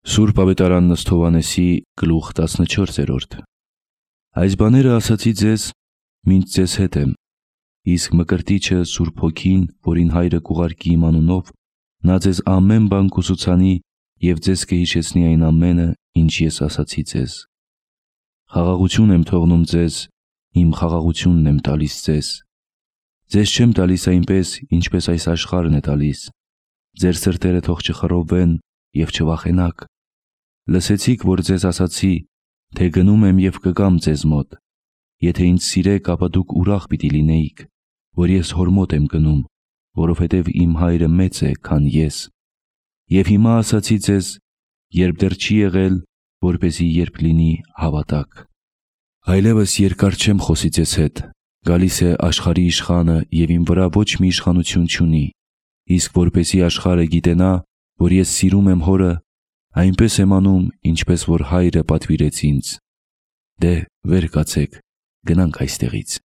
Սուրբ Ավետարան Ըստ Հովհաննեսի գլուխ 14: Այս բաները ասացի ձեզ, մինչ ձեզ հետ եմ, իսկ Մկրտիչը Սուրբ Հոգին, որին Հայրը կուղարկի իմ անունով, նա ձեզ ամեն բան կուսուցանի և ձեզ կհիշեցնի այն ամենը, ինչ ես ասացի ձեզ։ Խաղաղություն եմ թողնում ձեզ, իմ խաղաղությունն եմ տալիս ձեզ։ Ձեզ չեմ տալիս այնպես, ինչպես այս աշխարհն է տալիս։ Ձեր սրտերը թող չխռովվեն և չվախենաք։ Լսեցիք, որ ձեզ ասացի, թե գնում եմ և կգամ ձեզ մոտ։ Եթե ինձ սիրեք, ապա դուք ուրախ պիտի լինեիք, որ ես Հոր մոտ եմ գնում, որովհետև իմ Հայրը մեծ է, քան ես։ Եվ հիմա ասացի ձեզ, երբ դեռ չի եղել, որպեսզի երբ լինի, հավատաք։ Այլևս երկար չեմ խոսի ձեզ հետ, գալիս է աշխարհի իշխանը, և իմ վրա ոչ մի իշխանություն չունի, իսկ որպեսզի աշխարհը գիտենա, որ ես սիրում եմ Հորը, այնպես եմ անում, ինչպես որ Հայրը պատվիրեց ինձ։ Դե, վեր կացեք, գնանք այստեղից։